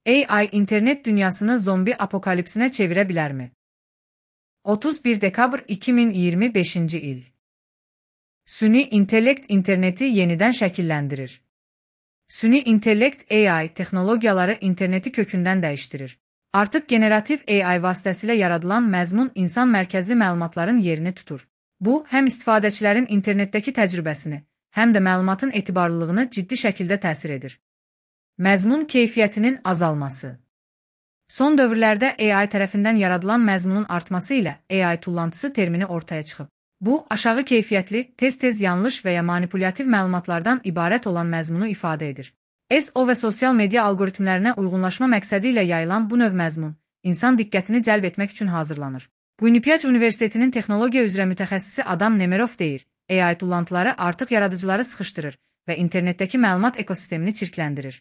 AI internet dünyasını zombi apokalipsine çevirebilir mi? 31 dekabr 2025 il. Süni intellekt interneti yeniden şekillendirir. Süni intellekt AI texnologiyaları interneti kökünden değiştirir. Artık generatif AI vasitəsilə yaradılan məzmun insan mərkəzli məlumatların yerini tutur. Bu, həm istifadəçilərin internetdəki təcrübəsini, həm də məlumatın etibarlılığını ciddi şəkildə təsir edir. Məzmun keyfiyyətinin azalması. Son dövrlərdə AI tərəfindən yaradılan məzmunun artması ilə AI tullantısı termini ortaya çıxıb. Bu, aşağı keyfiyyətli, tez-tez yanlış və ya manipulyativ məlumatlardan ibarət olan məzmunu ifadə edir. SEO və sosial media algoritmlərinə uyğunlaşma məqsədi ilə yayılan bu növ məzmun, insan diqqətini cəlb etmək üçün hazırlanır. Winnipeg Universitetinin texnologiya üzrə mütəxəssisi Adam Nemerov deyir, AI tullantıları artıq yaradıcıları sıxışdırır və internetdəki məlumat ekosistemini çirkləndirir.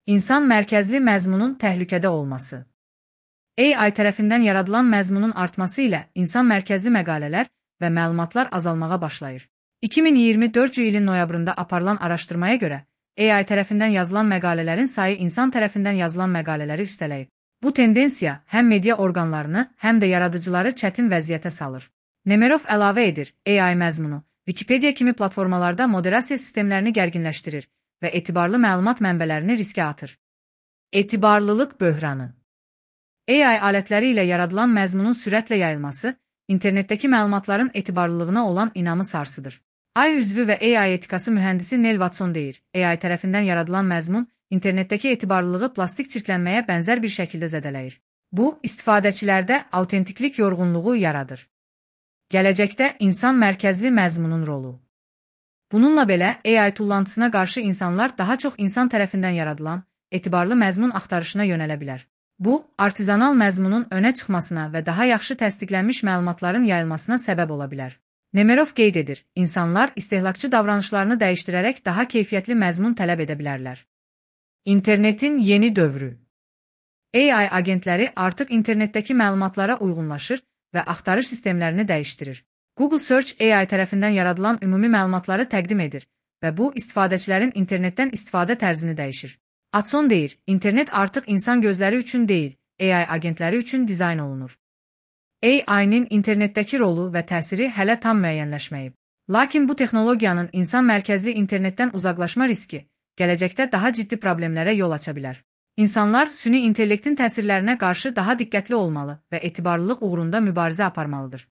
İnsan mərkəzli məzmunun təhlükədə olması. AI tərəfindən yaradılan məzmunun artması ilə insan mərkəzli məqalələr və məlumatlar azalmağa başlayır. 2024 ilin noyabrında aparılan araşdırmaya görə, AI tərəfindən yazılan məqalələrin sayı insan tərəfindən yazılan məqalələri üstələyib. Bu tendensiya həm media orqanlarını, həm də yaradıcıları çətin vəziyyətə salır. Nemerov əlavə edir, AI məzmunu, Wikipedia kimi platformalarda moderasiya sistemlərini gərginləşdirir və etibarlı məlumat mənbələrini riskə atır. Etibarlılıq böhranı. AI alətləri ilə yaradılan məzmunun sürətlə yayılması, internetdəki məlumatların etibarlılığına olan inamı sarsıdır. AI üzvü və AI etikası mühəndisi Neil Watson deyir, AI tərəfindən yaradılan məzmun, internetdəki etibarlılığı plastik çirklənməyə bənzər bir şəkildə zədələyir. Bu, istifadəçilərdə autentiklik yorğunluğu yaradır. Gələcəkdə insan mərkəzli məzmunun rolu. Bununla belə, AI tullantısına qarşı insanlar daha çox insan tərəfindən yaradılan, etibarlı məzmun axtarışına yönələ bilər. Bu, artizanal məzmunun önə çıxmasına və daha yaxşı təsdiqlənmiş məlumatların yayılmasına səbəb ola bilər. Nemerov qeyd edir, insanlar istehlakçı davranışlarını dəyişdirərək daha keyfiyyətli məzmun tələb edə bilərlər. İnternetin yeni dövrü. AI agentləri artıq internetdəki məlumatlara uyğunlaşır və axtarış sistemlərini dəyişdirir. Google Search AI tərəfindən yaradılan ümumi məlumatları təqdim edir və bu, istifadəçilərin internetdən istifadə tərzini dəyişir. Watson deyir, internet artıq insan gözləri üçün deyil, AI agentləri üçün dizayn olunur. AI-nin internetdəki rolu və təsiri hələ tam müəyyənləşməyib. Lakin bu texnologiyanın insan mərkəzli internetdən uzaqlaşma riski gələcəkdə daha ciddi problemlərə yol aça bilər. İnsanlar süni intellektin təsirlərinə qarşı daha diqqətli olmalı və etibarlılıq uğrunda mübarizə aparmalıdır.